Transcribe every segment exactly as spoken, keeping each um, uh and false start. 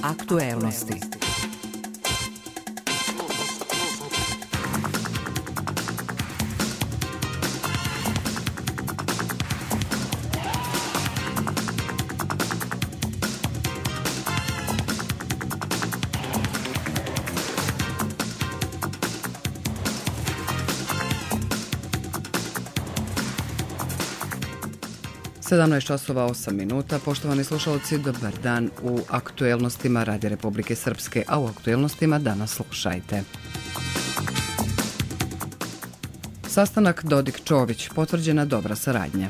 Aktuelnosti. sedamnaest časova osam minuta. Poštovani slušalci, dobar dan u aktuelnostima Radija Republike Srpske, a u aktuelnostima danas slušajte. Sastanak Dodik-Čović, potvrđena dobra saradnja.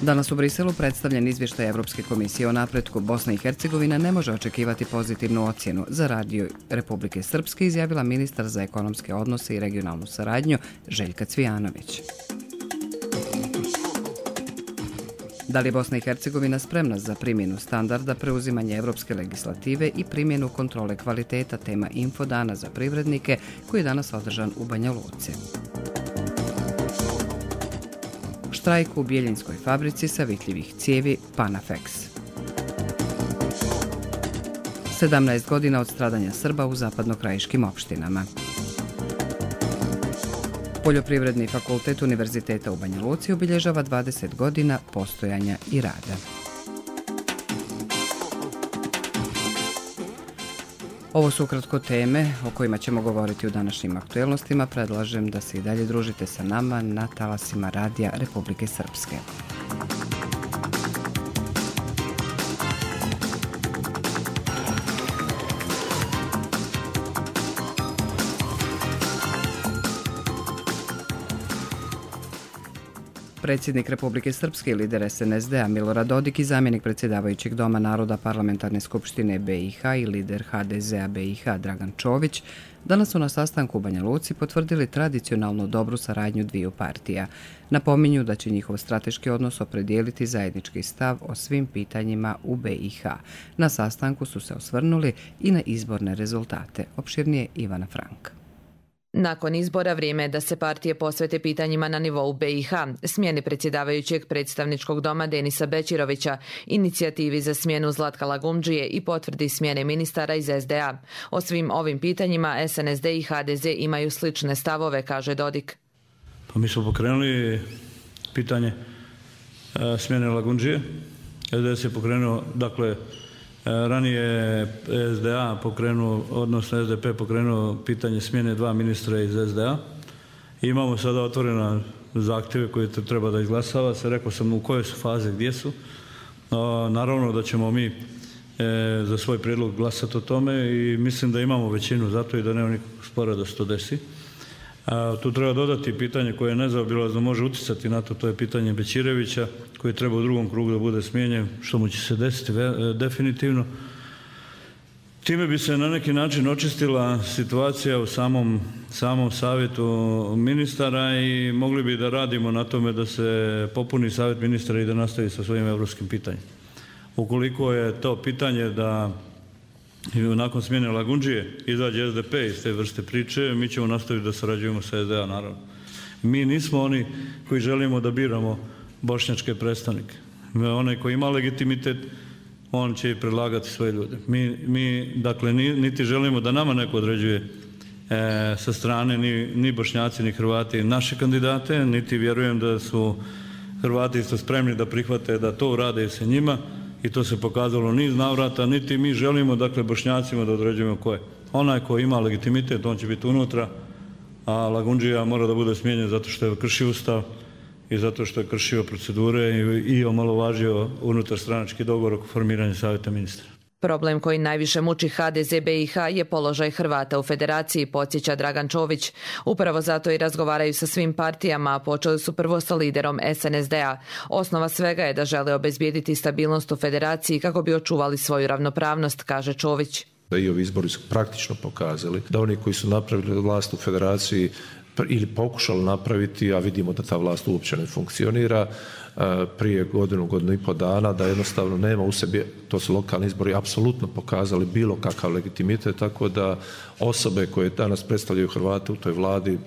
Danas u Briselu predstavljen izvještaj Evropske komisije o napretku. Bosna i Hercegovina ne može očekivati pozitivnu ocjenu. Za Radio Republike Srpske izjavila ministar za ekonomske odnose i regionalnu saradnju Željka Cvijanović. Da li je Bosna i Hercegovina spremna za primjenu standarda, preuzimanje evropske legislative i primjenu kontrole kvaliteta, tema Infodana za privrednike koji je danas održan u Banja Luci. Štrajk u Bjeljinskoj fabrici savitljivih cijevi Panafex. sedamnaest godina od stradanja Srba u zapadnokrajiškim opštinama. Poljoprivredni fakultet Univerziteta u Banja Luci obilježava dvadeset godina postojanja i rada. Ovo su ukratko teme o kojima ćemo govoriti u današnjim aktuelnostima. Predlažem da se i dalje družite sa nama na talasima Radija Republike Srpske. Predsjednik Republike Srpske i lider es en es de a Milorad Dodik i zamjenik predsjedavajućeg Doma naroda Parlamentarne skupštine be i ha i lider ha de ze a be i ha Dragan Čović danas su na sastanku u Banja Luci potvrdili tradicionalnu dobru saradnju dviju partija. Napominju da će njihov strateški odnos opredijeliti zajednički stav o svim pitanjima u be i ha. Na sastanku su se osvrnuli i na izborne rezultate. Opširnije Ivana Franka. Nakon izbora vrijeme je da se partije posvete pitanjima na nivou be i ha, smjeni predsjedavajućeg predstavničkog doma Denisa Bećirovića, inicijativi za smjenu Zlatka Lagumdžije i potvrdi smjene ministara iz es de a. O svim ovim pitanjima es en es de i ha de ze imaju slične stavove, kaže Dodik. Pa mi smo pokrenuli pitanje e, smjene Lagumdžije. es de es je pokrenuo, dakle, ranije es de a pokrenuo, odnosno es de pe pokrenuo pitanje smjene dva ministra iz es de a. Imamo sada otvorena zahtjeve koje treba da izglasava se. Rekao sam u kojoj su faze, gdje su. Naravno da ćemo mi za svoj prijedlog glasati o tome i mislim da imamo većinu za to i da nema nikakvog spora da se to desi. A, tu treba dodati pitanje koje nezaobilazno može utjecati na to, to je pitanje Bećirevića koji treba u drugom krugu da bude smijenjen, što mu će se desiti ve, definitivno. Time bi se na neki način očistila situacija u samom, samom savjetu ministara i mogli bi da radimo na tome da se popuni savjet ministara i da nastavi sa svojim evropskim pitanjem. Ukoliko je to pitanje da i nakon smjene Lagumdžije izađe es de pe iz te vrste priče, mi ćemo nastaviti da sarađujemo sa es de a, naravno. Mi nismo oni koji želimo da biramo bošnjačke predstavnike. Onaj koji ima legitimitet, on će i predlagati svoje ljude. Mi, mi dakle, niti želimo da nama neko određuje e, sa strane ni, ni Bošnjaci, ni Hrvati naše kandidate, niti vjerujem da su Hrvati isto spremni da prihvate da to urade sa njima. I to se pokazalo niz navrata, niti mi želimo, dakle, Bošnjacima da određujemo ko je. Onaj ko ima legitimitet, on će biti unutra, a Lagumdžija mora da bude smijenjen zato što je kršio ustav i zato što je kršio procedure i, i omalovažio unutar stranački dogovor oko formiranja savjeta ministra. Problem koji najviše muči ha de ze be i ha je položaj Hrvata u federaciji, podsjeća Dragan Čović. Upravo zato i razgovaraju sa svim partijama, a počeli su prvo sa liderom es en es de a. Osnova svega je da žele obezbijediti stabilnost u federaciji kako bi očuvali svoju ravnopravnost, kaže Čović. I ovi izbori su praktično pokazali da oni koji su napravili vlast u federaciji ili pokušali napraviti, a vidimo da ta vlast uopće ne funkcionira, prije godinu, godinu i po dana, da jednostavno nema u sebi, to su lokalni izbori apsolutno pokazali bilo kakav legitimitet, tako da osobe koje danas predstavljaju Hrvate u toj vladi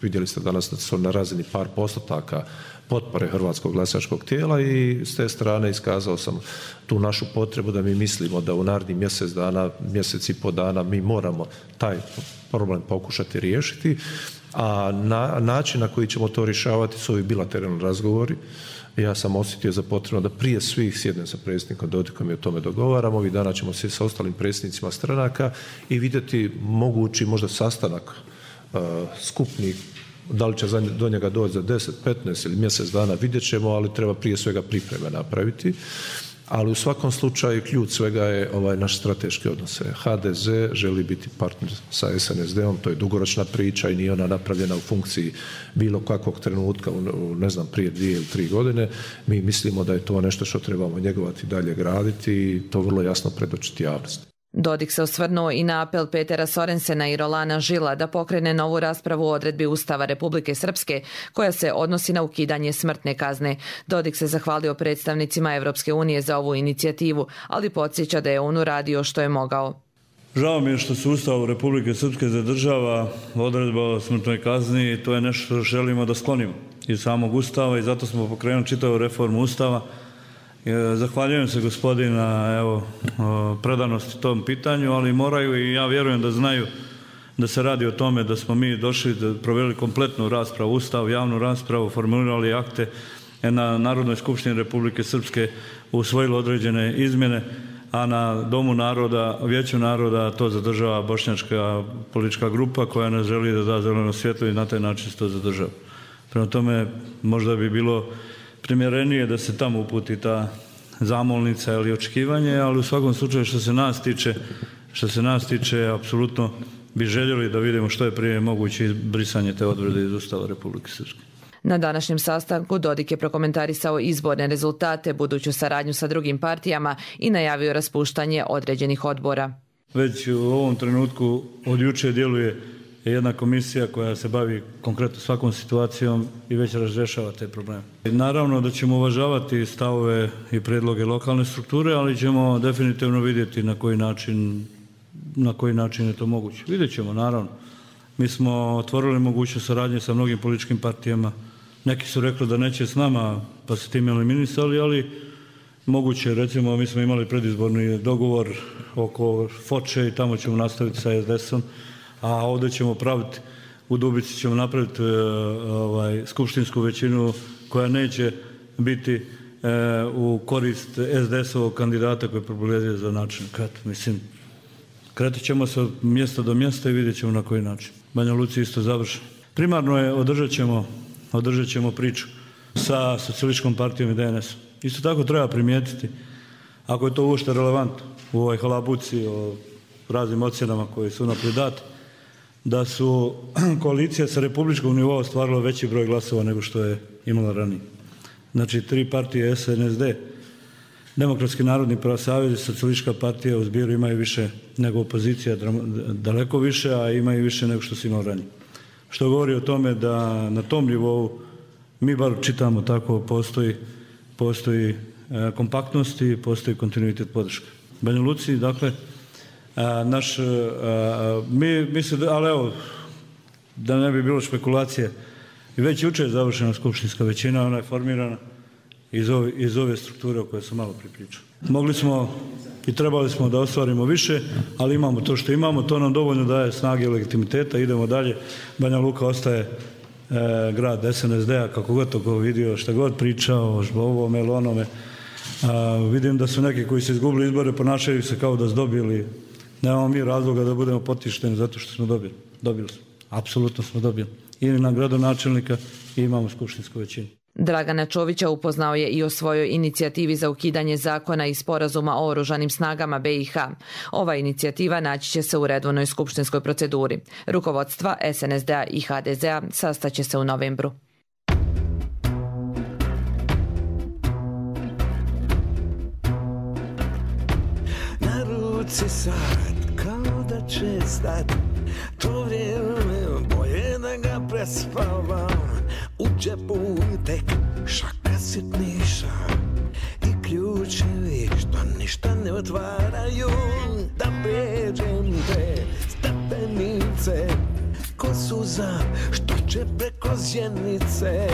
vidjeli ste danas da su na razini par postotaka potpore hrvatskog glasačkog tijela i s te strane iskazao sam tu našu potrebu da mi mislimo da u narednih mjesec dana, mjesec i po dana mi moramo taj problem pokušati riješiti, a na, način na koji ćemo to rješavati su ovi bilateralni razgovori. Ja sam osjetio za potrebno da prije svih sjednem sa predsjednikom Dodikom i o tome dogovaramo. Ovih dana ćemo sjesti sa ostalim predsjednicima stranaka i vidjeti mogući možda sastanak uh, skupni. Da li će do njega doći za deset, petnaest ili mjesec dana, vidjet ćemo, ali treba prije svega pripreme napraviti. Ali u svakom slučaju ključ svega je ovaj naš strateški odnos. ha de ze želi biti partner sa es en es de om, to je dugoročna priča i nije ona napravljena u funkciji bilo kakvog trenutka, u, ne znam, prije dvije ili tri godine. Mi mislimo da je to nešto što trebamo njegovati dalje graditi i to vrlo jasno predočiti javnosti. Dodik se osvrnuo i na apel Petera Sorensena i Rolana Žila da pokrene novu raspravu o odredbi Ustava Republike Srpske koja se odnosi na ukidanje smrtne kazne. Dodik se zahvalio predstavnicima Evropske unije za ovu inicijativu, ali podsjeća da je on uradio što je mogao. Žao mi je što se Ustav Republike Srpske zadržava odredba o smrtnoj kazni i to je nešto što želimo da sklonimo iz samog Ustava i zato smo pokrenuli čitavu reformu Ustava. Zahvaljujem se gospodina evo, predanosti tom pitanju, ali moraju i ja vjerujem da znaju da se radi o tome da smo mi došli, da proveli kompletnu raspravu, Ustav, javnu raspravu, formulirali akte na Narodnoj skupštini Republike Srpske, usvojili određene izmjene, a na Domu naroda, Vijeću naroda to zadržava bošnjačka politička grupa koja ne želi da da zeleno svjetlo i na taj način se to zadržava. Prema tome možda bi bilo primjerenije da se tamo uputi ta zamolnica ili očekivanje, ali u svakom slučaju što se nas tiče, što se nas tiče, apsolutno bi željeli da vidimo što je prije moguće brisanje te odredbe iz Ustava Republike Srpske. Na današnjem sastanku Dodik je prokomentarisao izborne rezultate, buduću saradnju sa drugim partijama i najavio raspuštanje određenih odbora. Već u ovom trenutku od juče djeluje jedna komisija koja se bavi konkretno svakom situacijom i već razrješava te probleme. Naravno da ćemo uvažavati stavove i predloge lokalne strukture, ali ćemo definitivno vidjeti na koji način, na koji način je to moguće. Vidjet ćemo, naravno. Mi smo otvorili mogućnost saradnje sa mnogim političkim partijama. Neki su rekli da neće s nama, pa se tim eliminisali, ali moguće, recimo, mi smo imali predizborni dogovor oko Foče i tamo ćemo nastaviti sa es de esom, a ovdje ćemo praviti, u Dubici ćemo napraviti ovaj, skupštinsku većinu koja neće biti e, u korist es de esovog kandidata koji je propulezio za načelnika. Mislim, kretat ćemo se od mjesta do mjesta i vidjet ćemo na koji način. Banja Luci isto završeno. Primarno je održat ćemo, održat ćemo priču sa Socijalističkom partijom i de en esom. Isto tako treba primijetiti, ako je to uopšte relevantno u ovoj halabuci o raznim ocjenama koje su naprijed date, da su koalicija sa republičkog nivoa ostvarila veći broj glasova nego što je imala ranije. Znači, tri partije es en es de, Demokratski narodni savez i Socijalistička partija u zbiru imaju više nego opozicija, daleko više, a imaju više nego što su imali ranije. Što govori o tome da na tom nivou, mi bar čitamo tako, postoji, postoji e, kompaktnost i postoji kontinuitet podrške. Banja Luci, dakle, a, naš, a, mi, mi se, ali evo, da ne bi bilo špekulacije, i već jučer je završena skupštinska većina, ona je formirana iz ove, iz ove strukture o kojoj sam malo pripričao. Mogli smo i trebali smo da ostvarimo više, ali imamo to što imamo, to nam dovoljno daje snage i legitimiteta, idemo dalje. Banja Luka ostaje e, grad es en es de-a, kako god to go vidio, šta god pričao, o ovome ili onome. A, vidim da su neki koji su izgubili izbore, ponašaju se kao da su dobili. Nemamo mi razloga da budemo potišteni zato što smo dobili. Dobili smo. Apsolutno smo dobili. I na gradonačelnika i imamo skupštinsku većinu. Dragana Čovića upoznao je i o svojoj inicijativi za ukidanje zakona i sporazuma o oružanim snagama be i ha. Ova inicijativa naći će se u redovnoj skupštinskoj proceduri. Rukovodstva es en es de-a i ha de ze-a sastaće se u novembru. Na ruci sad, kao da će stat, to vrijeme bolje da ga prespavam. U džepu tek šaka sitniša i ključevi što ništa ne otvaraju. Da pređem te stepenice ko ko suza što će preko zjenice.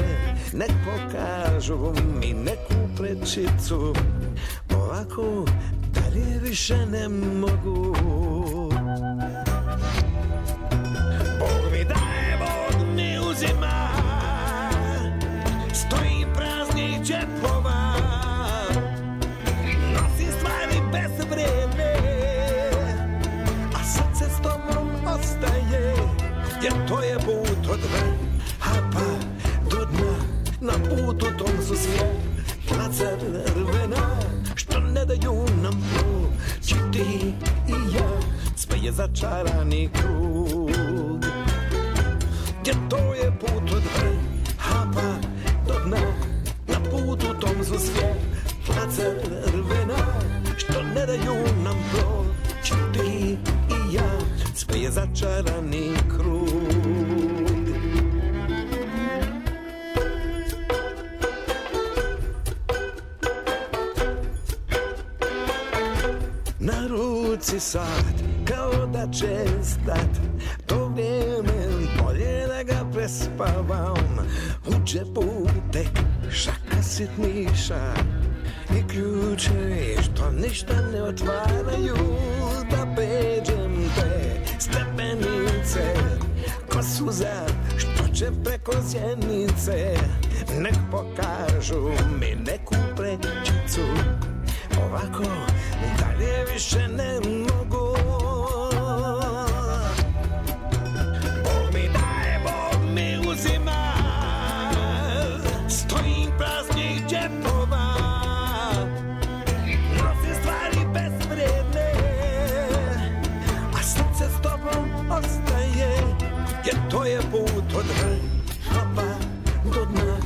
Nek pokažu mi neku prečicu, ovako dalje više ne mogu. Bog mi daje, Bog mi uzima, stojim praznih džepova, nosim stvari bez vreme, a srce s tobom ostaje, jer to je put od vrha do dna. Na putu tom su svjetla crvena, što ne daju nam proći ti i ja, sve je začarani krug. Jer to je put od vrha pa do dna, na putu tom su svjetla crvena, što ne daju nam proći ti i ja, sve je začarani krug. Na ruci sad, kao da će stat, to vrijeme bolje da ga prespavam. U džepu tek šaka sitniša i ključevi što ništa ne otvaraju. Da pređem te stepenice, ko suza što će preko zjenice. Nek pokažu mi neku prečicu, ovako dalje više ne mogu. Bog mi daje, Bog mi uzima, stojim praznih džepova, nosim stvari bezvredne, a srce s tobom ostaje, jer to je put od vrha pa do dna.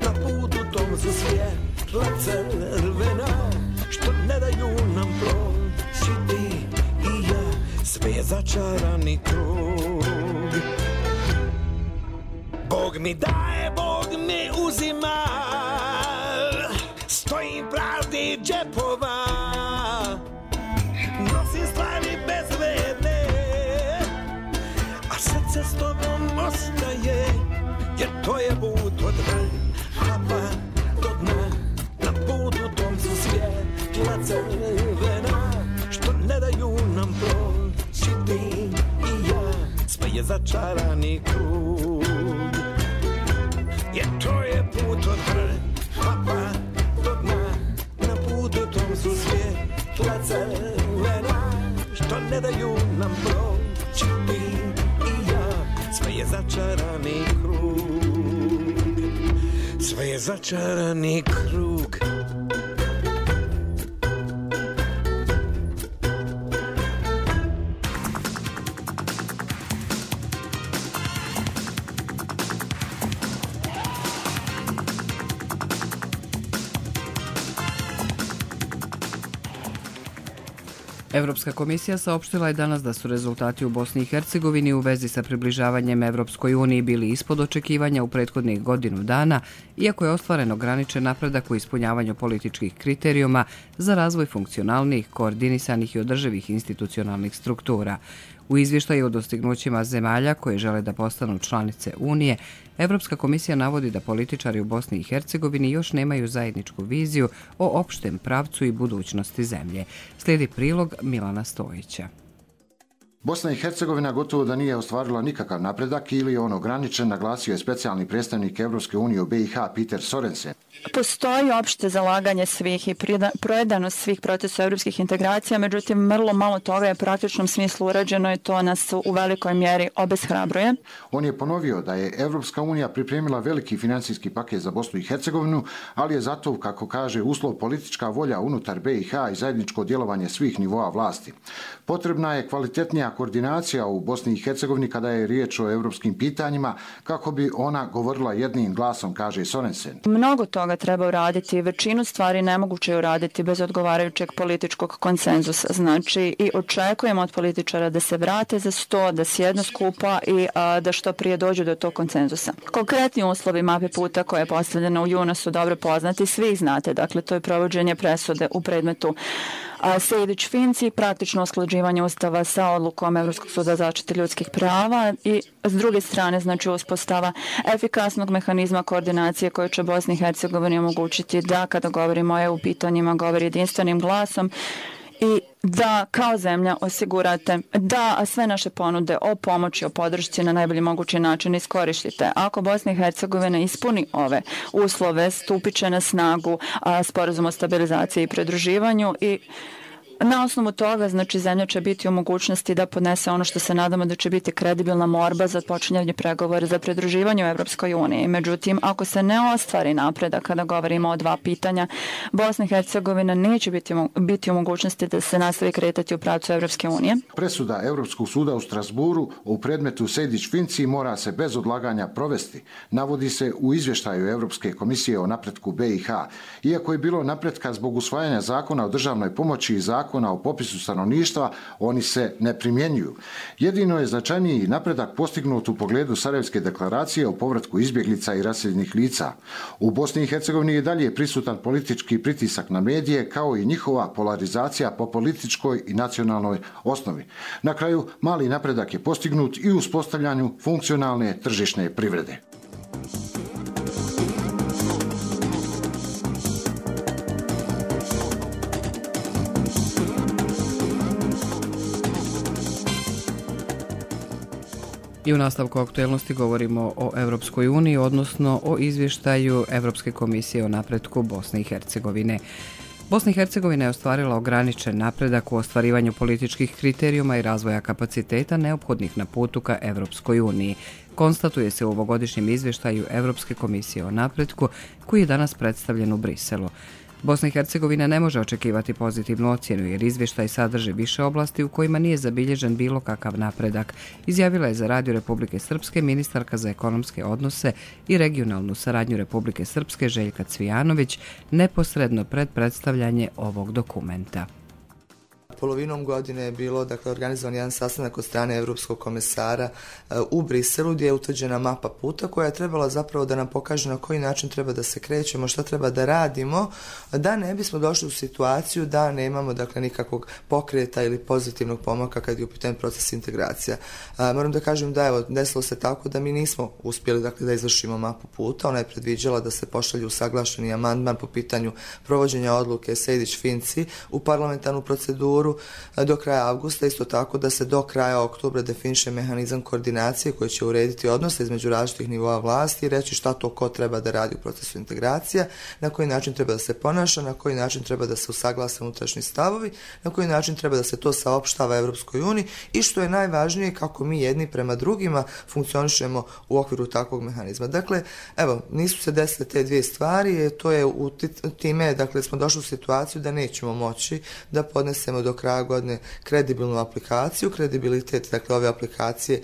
Na putu tom su svjetla crvena, što ne daju nam proći ti i ja, sve je začarani krug. Bog mi daje, Bog mi uzima, stojim praznih džepova, nosim stvari bezvredne, a srce s tobom ostaje, jer to je put od vrha pa do dna. Na putu tom su svjetla crvena, što ne daju nam proći ti i ja, sve je začarani krug. Jer to je put od vrha pa do dna. Na putu tom su svjetla crvena, što ne daju nam proći ti i ja, sve je začarani krug. Sve je začarani krug. Evropska komisija saopštila je danas da su rezultati u Bosni i Hercegovini u vezi sa približavanjem Evropskoj uniji bili ispod očekivanja u prethodnih godinu dana, iako je ostvaren ograničen napredak u ispunjavanju političkih kriterijuma za razvoj funkcionalnih, koordinisanih i održivih institucionalnih struktura. U izvještaju o dostignućima zemalja koje žele da postanu članice Unije, Evropska komisija navodi da političari u Bosni i Hercegovini još nemaju zajedničku viziju o opštem pravcu i budućnosti zemlje. Slijedi prilog Milana Stojića. Bosna i Hercegovina gotovo da nije ostvarila nikakav napredak ili je on ograničen, naglasio je specijalni predstavnik Evropske unije u B i H Peter Sorensen. Postoji opšte zalaganje svih i projedanost svih procesa evropskih integracija, međutim vrlo malo toga je u praktičnom smislu urađeno i to nas u velikoj mjeri obeshrabruje. On je ponovio da je Evropska unija pripremila veliki financijski paket za Bosnu i Hercegovinu, ali je zato, kako kaže, uslov politička volja unutar B i H i zajedničko djelovanje svih nivoa vlasti. Potrebna je kvalitetnija koordinacija u Bosni i Hercegovini kada je riječ o evropskim pitanjima, kako bi ona govorila jednim glasom, kaže Sorensen. Mnogo toga treba uraditi, većinu stvari nemoguće je uraditi bez odgovarajućeg političkog konsenzusa. Znači i očekujemo od političara da se vrate za sto, da sjednu skupa i a, da što prije dođu do tog konsenzusa. Konkretni uslovi mape puta koje je postavljeno u junu su dobro poznati, svi ih znate, dakle to je provođenje presude u predmetu Sejdić-Finci, praktično usklađivanje ustava sa odlukom Evropskog suda za zaštitu ljudskih prava i s druge strane znači uspostava efikasnog mehanizma koordinacije koje će Bosni i Hercegovini omogućiti da kada govorimo o E U pitanjima govori jedinstvenim glasom i da kao zemlja osigurate da sve naše ponude o pomoći, o podršci na najbolji mogući način iskoristite. Ako Bosna i Hercegovina ispuni ove uslove, stupit će na snagu a, sporazum o stabilizaciji i pridruživanju i na osnovu toga, znači, zemlja će biti u mogućnosti da podnese ono što se nadamo da će biti kredibilna morba za počinjanje pregovora za pridruživanje u Evropskoj uniji. Međutim, ako se ne ostvari napredak kada govorimo o dva pitanja, Bosna i Hercegovina neće biti, biti u mogućnosti da se nastavi kretati u pravcu Evropske unije. Presuda Evropskog suda u Strasburu u predmetu Sejdić-Finci mora se bez odlaganja provesti, navodi se u izvještaju Evropske komisije o napretku B i H. Iako je bilo napretka zbog usvajanja zakona o državnoj pomoći i zakona o popisu stanovništva, oni se ne primjenjuju. Jedino je značajniji napredak postignut u pogledu Sarajevske deklaracije o povratku izbjeglica i raseljenih lica. U Bosni i Hercegovini je dalje prisutan politički pritisak na medije, kao i njihova polarizacija po političkoj i nacionalnoj osnovi. Na kraju, mali napredak je postignut i u uspostavljanju funkcionalne tržišne privrede. I u nastavku aktuelnosti govorimo o Evropskoj uniji, odnosno o izvještaju Evropske komisije o napretku Bosne i Hercegovine. Bosna i Hercegovina je ostvarila ograničen napredak u ostvarivanju političkih kriterijuma i razvoja kapaciteta neophodnih na putu ka Evropskoj uniji. Konstatuje se u ovogodišnjem izvještaju Evropske komisije o napretku koji je danas predstavljen u Briselu. Bosna i Hercegovina ne može očekivati pozitivnu ocjenu jer izvještaj sadrži više oblasti u kojima nije zabilježen bilo kakav napredak, izjavila je za Radio Republike Srpske ministarka za ekonomske odnose i regionalnu saradnju Republike Srpske Željka Cvijanović neposredno pred predstavljanje ovog dokumenta. Polovinom godine je bilo dakle, organizovan jedan sastanak od strane Evropskog komesara u Briselu gdje je utvrđena mapa puta koja je trebala zapravo da nam pokaže na koji način treba da se krećemo, šta treba da radimo, da ne bismo došli u situaciju da nemamo dakle, nikakvog pokreta ili pozitivnog pomaka kad je u pitanju proces integracija. A, moram da kažem da evo, desilo se tako da mi nismo uspjeli dakle, da izvršimo mapu puta. Ona je predviđala da se pošalju usaglašeni amandman po pitanju provođenja odluke Sejdić-Finci u parlamentarnu proceduru do kraja avgusta, isto tako da se do kraja oktobra definiše mehanizam koordinacije koji će urediti odnose između različitih nivoa vlasti i reći šta to ko treba da radi u procesu integracija, na koji način treba da se ponaša, na koji način treba da se usaglase unutrašnji stavovi, na koji način treba da se to saopštava Evropskoj uniji i što je najvažnije kako mi jedni prema drugima funkcionišemo u okviru takvog mehanizma. Dakle, evo, nisu se desile te dvije stvari, to je u time, dakle, smo došli u situaciju da nećemo moći da podnesemo do kraja godine kredibilnu aplikaciju. Kredibilitet, dakle, ove aplikacije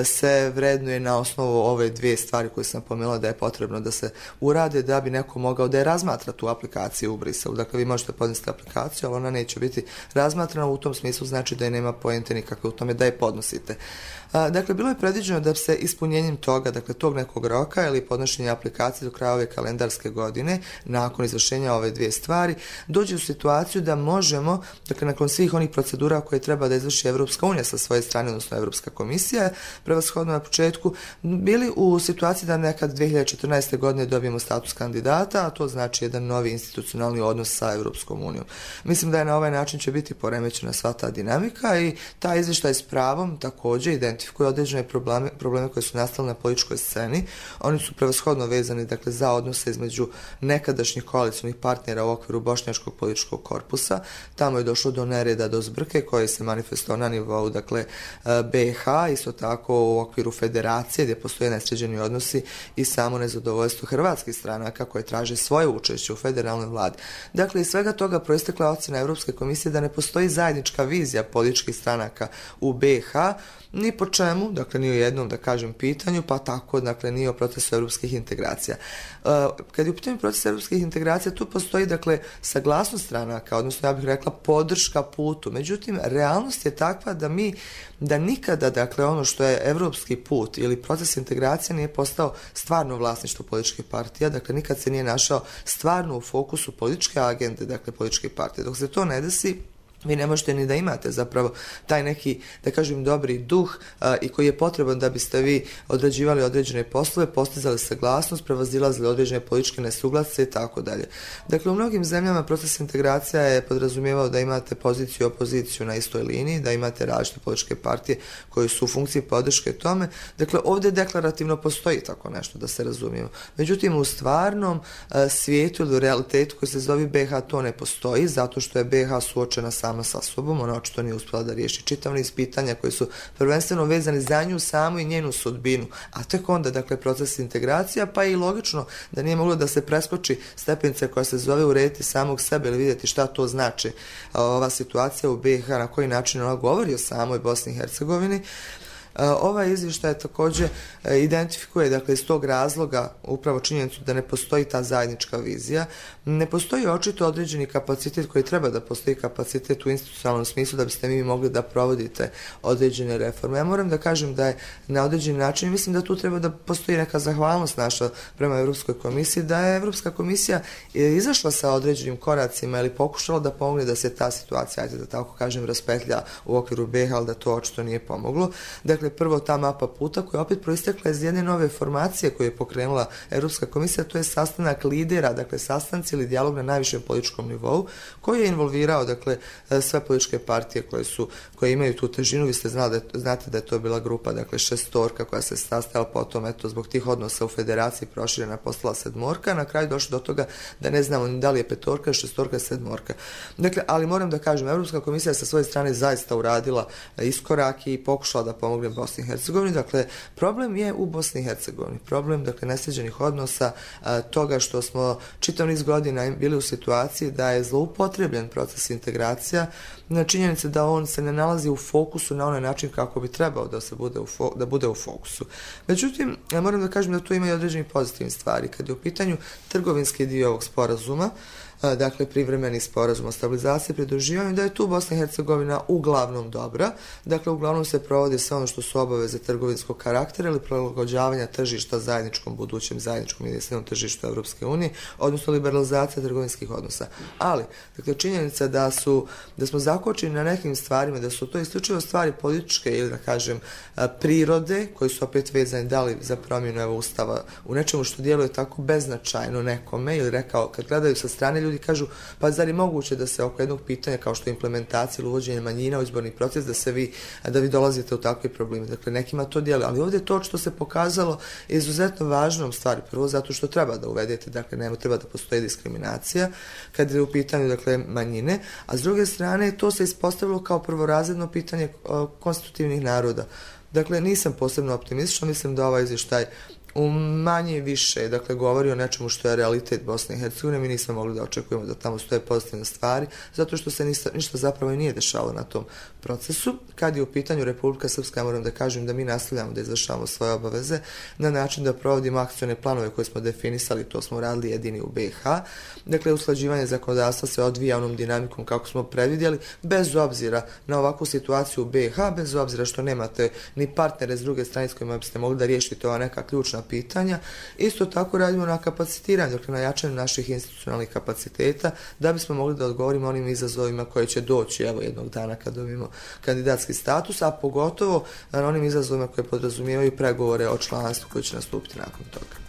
se vrednuje na osnovu ove dvije stvari koje sam pomenula da je potrebno da se urade da bi neko mogao da je razmatra tu aplikaciju u Briselu. Dakle, vi možete podnesti aplikaciju, ali ona neće biti razmatrana, u tom smislu znači da je nema poente nikakve u tome da je podnosite. Dakle, bilo je predviđeno da se ispunjenjem toga, dakle, tog nekog roka ili podnošenja aplikacije do kraja ove kalendarske godine, nakon izvršenja ove dvije stvari, dođe u situaciju da možemo, dakle, nakon svih onih procedura koje treba da izvrši Evropska unija sa svoje strane, odnosno Evropska komisija, prevashodno na početku, bili u situaciji da nekad dve hiljade četrnaeste. godine dobijemo status kandidata, a to znači jedan novi institucionalni odnos sa Evropskom unijom. Mislim da je na ovaj način će biti poremećena sva ta dinamika i ta izvještaj s pravom također identifikuje određene probleme, probleme koje su nastale na političkoj sceni. Oni su prevashodno vezani dakle, za odnose između nekadašnjih koalicijnih partnera u okviru bošnjačkog političkog korpusa. Tamo je došlo do nereda, do zbrke koje se manifestovao na nivou dakle, B i H, isto tako u okviru federacije gdje postoje nesređeni odnosi i samo nezadovoljstvo hrvatskih stranaka koje traže svoje učešće u federalnoj vladi. Dakle, iz svega toga proistekla ocjena Evropske komisije da ne postoji zajednička vizija političkih stranaka u B i H, ni po čemu, dakle ni o jednom da kažem pitanju, pa tako dakle ni o procesu europskih integracija. Uh, kad je u pitanju proces europskih integracija, tu postoji dakle saglasnost stranaka, odnosno ja bih rekla podrška putu. Međutim, realnost je takva da mi, da nikada dakle ono što je evropski put ili proces integracije nije postao stvarno vlasništvo političkih partija, dakle nikad se nije našao stvarno u fokusu političke agende, dakle političke partije. Dok se to ne desi, vi ne možete ni da imate zapravo taj neki, da kažem, dobri duh a, i koji je potreban da biste vi odrađivali određene poslove, postizali saglasnost, prevazilazili određene političke nesuglasice i tako dalje. Dakle, u mnogim zemljama proces integracija je podrazumijevao da imate poziciju i opoziciju na istoj liniji, da imate različite političke partije koje su u funkciji podrške tome. Dakle, ovdje deklarativno postoji tako nešto, da se razumijemo. Međutim, u stvarnom a, svijetu ili u realitetu koji se zove B i H to ne postoji, zato što je B i H suočena sama sa sobom, ona očito nije uspjela da riješi čitav niz pitanja koji su prvenstveno vezani za nju samu i njenu sudbinu, a tek onda, dakle, proces integracija, pa je i logično da nije moglo da se preskoči stepenice koja se zove urediti samog sebe ili vidjeti šta to znači ova situacija u B i H, na koji način ona govori o samoj Bosni i Hercegovini. Ovaj izvještaj također identifikuje, dakle, iz tog razloga upravo činjenicu da ne postoji ta zajednička vizija, ne postoji očito određeni kapacitet koji treba da postoji kapacitet u institucionalnom smislu da biste mi mogli da provodite određene reforme. Ja moram da kažem da je na određeni način, mislim da tu treba da postoji neka zahvalnost naša prema Europskoj komisiji, da je Europska komisija izašla sa određenim koracima ili pokušala da pomogne da se ta situacija, ajde da tako kažem, raspetlja u okviru B i H, ali da to očito nije pomoglo. Dakle, prvo ta mapa puta koja je opet proistekla iz jedne nove formacije koju je pokrenula Europska komisija, to je sastanak lidera, dakle sastanci ili dijalog na najvišem političkom nivou, koji je involvirao, dakle, sve političke partije koje su, koje imaju tu težinu. Vi ste znali da, znate da je to bila grupa, dakle, šestorka koja se sastajala, potom, eto, zbog tih odnosa u federaciji proširena postala sedmorka, na kraju došlo do toga da ne znamo ni da li je petorka, šestorka, sedmorka. Dakle, ali moram da kažem, Europska komisija sa svoje strane zaista uradila iskorak i pokušala da pomogne Bosni i Hercegovini. Dakle, problem je u Bosni i Hercegovini. Problem, dakle, nesređenih odnosa, a, toga što smo čitav niz godina bili u situaciji da je zloupotrebljen proces integracija, na činjenice da on se ne nalazi u fokusu na onaj način kako bi trebao da se bude u, fo, da bude u fokusu. Međutim, ja moram da kažem da tu ima i određeni pozitivni stvari. Kad je u pitanju trgovinski dio ovog sporazuma, dakle, privremeni sporazum o stabilizaciji i pridruživanju, da je tu Bosna i Hercegovina uglavnom dobra. Dakle, uglavnom se provodi sve ono što su obaveze trgovinskog karaktera ili prilagođavanja tržišta zajedničkom budućem zajedničkom jedinstvenom tržištu Europske unije, odnosno liberalizacija trgovinskih odnosa. Ali, dakle, činjenica da su da smo zakočeni na nekim stvarima, da su to isključivo stvari političke ili, da kažem, prirode, koji su opet vezani da li za promjenu evo ustava u nečemu što djeluje tako beznačajno nekome, ili rekao, kad gledaju sa strane ljudi kažu, pa zar je moguće da se oko jednog pitanja kao što je implementacija ili uvođenje manjina u izborni proces, da se vi, da vi dolazite u takve probleme. Dakle, nekima to djeluje, ali ovdje to što se pokazalo je izuzetno važnom stvari. Prvo, zato što treba da uvedete, dakle, nema treba da postoji diskriminacija kad je u pitanju, dakle, manjine, a s druge strane to se ispostavilo kao prvorazredno pitanje konstitutivnih naroda. Dakle, nisam posebno optimistična, mislim da ovaj izvještaj u manje više, dakle, govori o nečemu što je realitet Bosne i Hercegovine. Mi nismo mogli da očekujemo da tamo stoje pozitivne stvari, zato što se ništa, ništa zapravo i nije dešavalo na tom procesu. Kad je u pitanju Republika Srpska, ja moram da kažem da mi nastavljamo da izvršavamo svoje obaveze na način da provodimo akcione planove koje smo definisali, to smo radili jedini u B i H. Dakle, usklađivanje zakonodavstva se odvija onom dinamikom kako smo predvidjeli, bez obzira na ovakvu situaciju u B i H, bez obzira što nemate ni partnere s druge strane s kojima biste mogli da riješite ova neka ključna pitanja. Isto tako radimo na kapacitiranju, dakle na jačanju naših institucionalnih kapaciteta, da bismo mogli da odgovorimo onim izazovima koje će doći, evo, jednog dana kad dobijemo kandidatski status, a pogotovo na onim izazovima koje podrazumijevaju pregovore o članstvu koji će nastupiti nakon toga.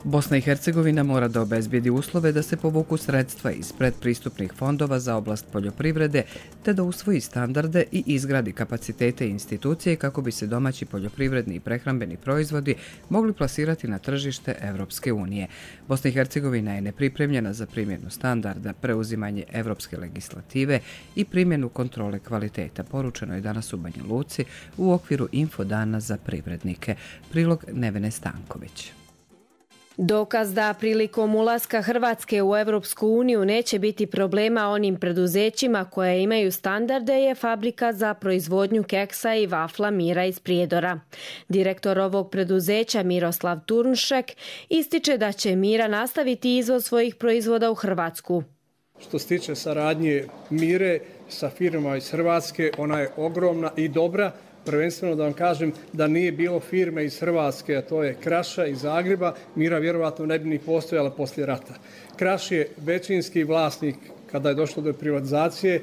Bosna i Hercegovina mora da obezbijedi uslove da se povuku sredstva iz predpristupnih fondova za oblast poljoprivrede, te da usvoji standarde i izgradi kapacitete i institucije kako bi se domaći poljoprivredni i prehrambeni proizvodi mogli plasirati na tržište Evropske unije. Bosna i Hercegovina je nepripremljena za primjenu standarda, preuzimanje evropske legislative i primjenu kontrole kvaliteta, poručeno je danas u Banja Luci u okviru Infodana za privrednike. Prilog Nevene Stanković. Dokaz da prilikom ulaska Hrvatske u Europsku uniju neće biti problema onim preduzećima koje imaju standarde je fabrika za proizvodnju keksa i vafla Mira iz Prijedora. Direktor ovog preduzeća Miroslav Turnšek ističe da će Mira nastaviti izvoz svojih proizvoda u Hrvatsku. Što se tiče saradnje Mire sa firmama iz Hrvatske, ona je ogromna i dobra. Prvenstveno da vam kažem da nije bilo firme iz Hrvatske, a to je Kraša iz Zagreba, Mira vjerovatno ne bi ni postojala poslije rata. Kraš je većinski vlasnik kada je došlo do privatizacije.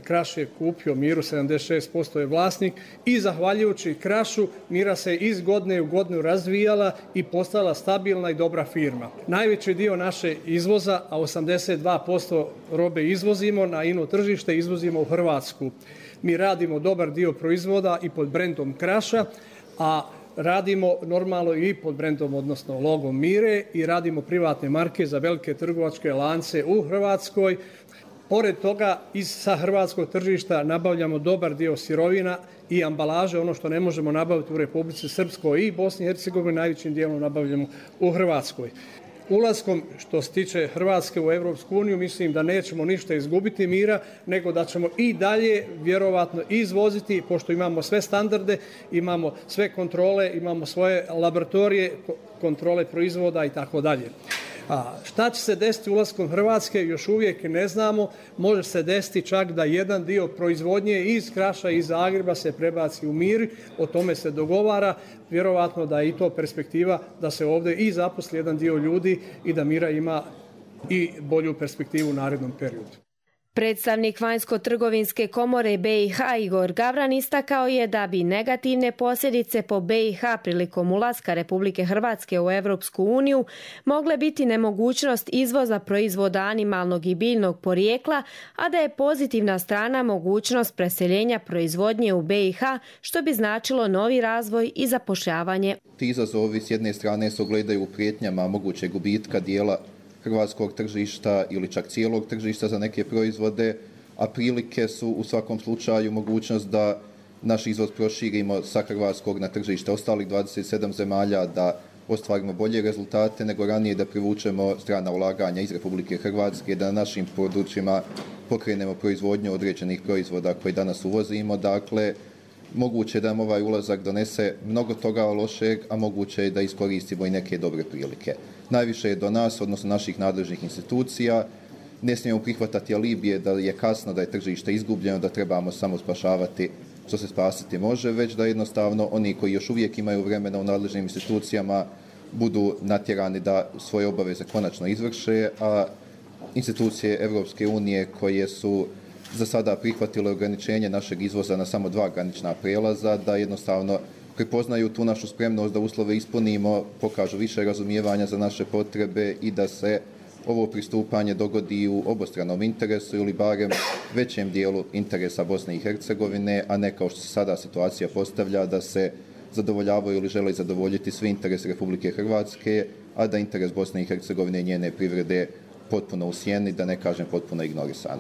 Kraš je kupio Miru, sedamdeset šest posto je vlasnik i zahvaljujući Krašu Mira se iz godine u godinu razvijala i postala stabilna i dobra firma. Najveći dio naše izvoza, a osamdeset dva posto robe izvozimo na ino tržište, izvozimo u Hrvatsku. Mi radimo dobar dio proizvoda i pod brendom Kraša, a radimo normalno i pod brendom, odnosno logom Mire i radimo privatne marke za velike trgovačke lance u Hrvatskoj. Pored toga, iz sa hrvatskog tržišta nabavljamo dobar dio sirovina i ambalaže, ono što ne možemo nabaviti u Republici Srpskoj i Bosni i Hercegovini, najvećim dijelom nabavljamo u Hrvatskoj. Ulaskom, što se tiče Hrvatske u Europsku uniju, mislim da nećemo ništa izgubiti Mira, nego da ćemo i dalje vjerovatno izvoziti, pošto imamo sve standarde, imamo sve kontrole, imamo svoje laboratorije, kontrole proizvoda i tako dalje. A šta će se desiti ulaskom Hrvatske, još uvijek ne znamo. Može se desiti čak da jedan dio proizvodnje iz Kraša i iz Zagreba se prebaci u Mir, o tome se dogovara. Vjerovatno da je i to perspektiva da se ovdje i zaposli jedan dio ljudi i da Mira ima i bolju perspektivu u narednom periodu. Predstavnik Vanjsko-trgovinske komore B i H Igor Gavran istakao je da bi negativne posljedice po B i H prilikom ulaska Republike Hrvatske u Europsku uniju mogle biti nemogućnost izvoza proizvoda animalnog i biljnog porijekla, a da je pozitivna strana mogućnost preseljenja proizvodnje u B i H, što bi značilo novi razvoj i zapošljavanje. Ti izazovi s jedne strane se ogledaju u prijetnjama mogućeg gubitka dijela hrvatskog tržišta ili čak cijelog tržišta za neke proizvode, a prilike su u svakom slučaju mogućnost da naš izvoz proširimo sa hrvatskog na tržište ostalih dvadeset sedam zemalja, da ostvarimo bolje rezultate nego ranije, da privučemo strana ulaganja iz Republike Hrvatske, da na našim područjima pokrenemo proizvodnju određenih proizvoda koje danas uvozimo. Dakle, moguće da nam ovaj ulazak donese mnogo toga lošeg, a moguće je da iskoristimo i neke dobre prilike. Najviše je do nas, odnosno naših nadležnih institucija. Ne smijemo prihvatati alibije da je kasno, da je tržište izgubljeno, da trebamo samo spašavati što se spasiti može, već da jednostavno oni koji još uvijek imaju vremena u nadležnim institucijama budu natjerani da svoje obaveze konačno izvrše, a institucije Europske unije koje su za sada prihvatile ograničenje našeg izvoza na samo dva granična prelaza, da jednostavno prepoznaju tu našu spremnost da uslove ispunimo, pokažu više razumijevanja za naše potrebe i da se ovo pristupanje dogodi u obostranom interesu ili barem većem dijelu interesa Bosne i Hercegovine, a ne kao što se sada situacija postavlja da se zadovoljavaju ili žele zadovoljiti svi interesi Republike Hrvatske, a da interes Bosne i Hercegovine i njene privrede potpuno u sjeni, da ne kažem potpuno ignorisan.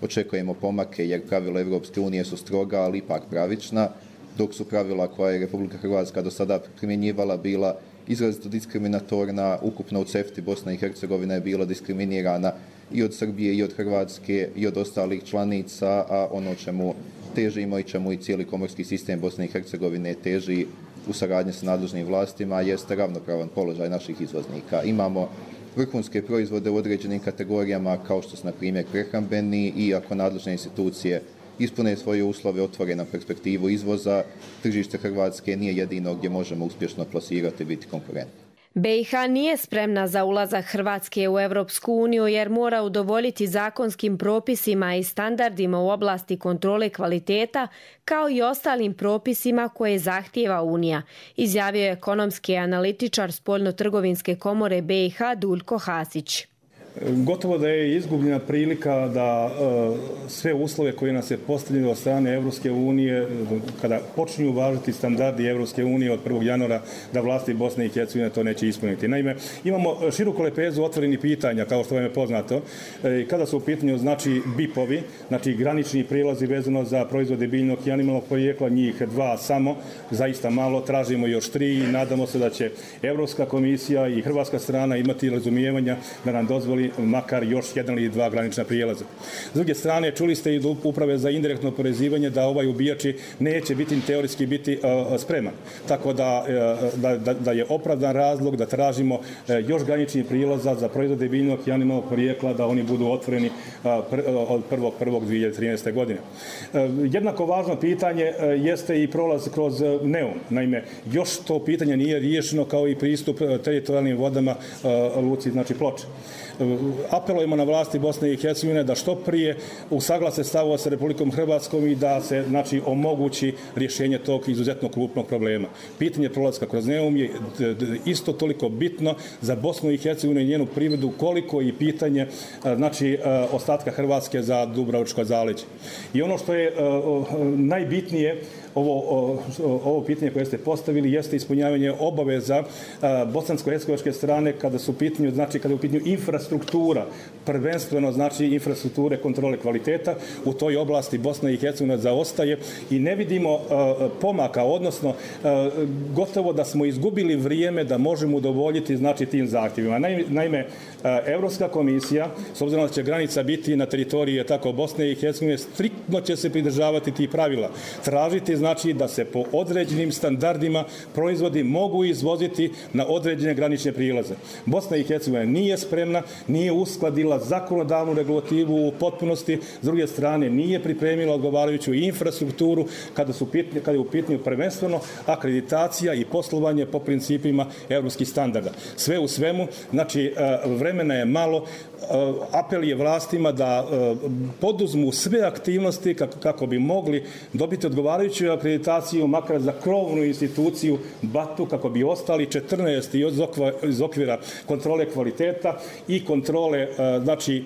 Očekujemo pomake jer pravila Europske unije su stroga, ali ipak pravična, dok su pravila koja je Republika Hrvatska do sada primjenjivala bila izrazito diskriminatorna. Ukupno u CEFTA Bosna i Hercegovina je bila diskriminirana i od Srbije i od Hrvatske i od ostalih članica, a ono čemu težimo i čemu i cijeli komorski sistem Bosne i Hercegovine teži u saradnji sa nadležnim vlastima jeste ravnopravan položaj naših izvoznika. Imamo vrhunske proizvode u određenim kategorijama kao što su na primjer prehrambeni i ako nadležne institucije ispune svoje uslove, otvore na perspektivu izvoza, tržište Hrvatske nije jedino gdje možemo uspješno plasirati i biti konkurentni. B i H nije spremna za ulazak Hrvatske u Europsku uniju jer mora udovoljiti zakonskim propisima i standardima u oblasti kontrole kvaliteta kao i ostalim propisima koje zahtijeva Unija, izjavio je ekonomski analitičar Spoljno-trgovinske komore B i H Duljko Hasić. Gotovo da je izgubljena prilika da sve uslove koje nas je postavljeno od strane Evropske unije, kada počinju važiti standardi Evropske unije od prvog januara, da vlasti Bosne i Hercegovine to neće ispuniti. Naime, imamo široku lepezu otvorenih pitanja, kao što vam je poznato, kada su u pitanju znači B I P-ovi, znači granični prilazi vezano za proizvode biljnog i animalnog porijekla, njih dva samo, zaista malo, tražimo još tri i nadamo se da će Evropska komisija i hrvatska strana imati razumijevanja da nam dozvoli makar još jedan ili dva granična prijelaza. S druge strane, čuli ste i do uprave za indirektno oporezivanje da ovaj ubijači neće biti teorijski biti uh, spreman. Tako da, uh, da, da, da je opravdan razlog da tražimo uh, još graničnih prilaza za proizvode biljnog i animalnog porijekla da oni budu otvoreni uh, pr od prvog prvog dvije hiljade trinaeste. godine. Uh, jednako važno pitanje uh, jeste i prolaz kroz uh, Neum. Naime, još to pitanje nije riješeno kao i pristup uh, teritorijalnim vodama uh, luci, znači Ploče. Apelujemo na vlasti Bosne i Hercegovine da što prije usaglase stavova sa Republikom Hrvatskom i da se znači omogući rješenje tog izuzetno krupnog problema. Pitanje prolaska kroz Neum je isto toliko bitno za Bosnu i Hercegovinu i njenu privredu koliko i pitanje znači ostatka Hrvatske za Dubrovačko zaleđe. I ono što je najbitnije Ovo, ovo pitanje koje ste postavili jeste ispunjavanje obaveza bosansko-hercegovačke strane kada su u pitanju, znači kada je u pitanju infrastruktura, prvenstveno znači infrastrukture kontrole kvaliteta. U toj oblasti Bosna i Hercegovina zaostaje i ne vidimo pomaka, odnosno gotovo da smo izgubili vrijeme da možemo udovoljiti znači tim zahtjevima. Naime, Evropska komisija, s obzirom da će granica biti na teritoriji tako Bosne i Hercegovine, striktno će se pridržavati tih pravila. Tražiti znači da se po određenim standardima proizvodi mogu izvoziti na određene granične prilaze. Bosna i Hercegovina nije spremna, nije uskladila zakonodavnu regulativu u potpunosti, s druge strane nije pripremila odgovarajuću infrastrukturu kada su pitanje, kada je u pitanju prvenstveno akreditacija i poslovanje po principima evropskih standarda. Sve u svemu, znači vremena je malo, apel je vlastima da poduzmu sve aktivnosti kako, kako bi mogli dobiti odgovarajuću akreditaciju makar za krovnu instituciju BAT-u kako bi ostali četrnaest iz okvira kontrole kvaliteta i kontrole znači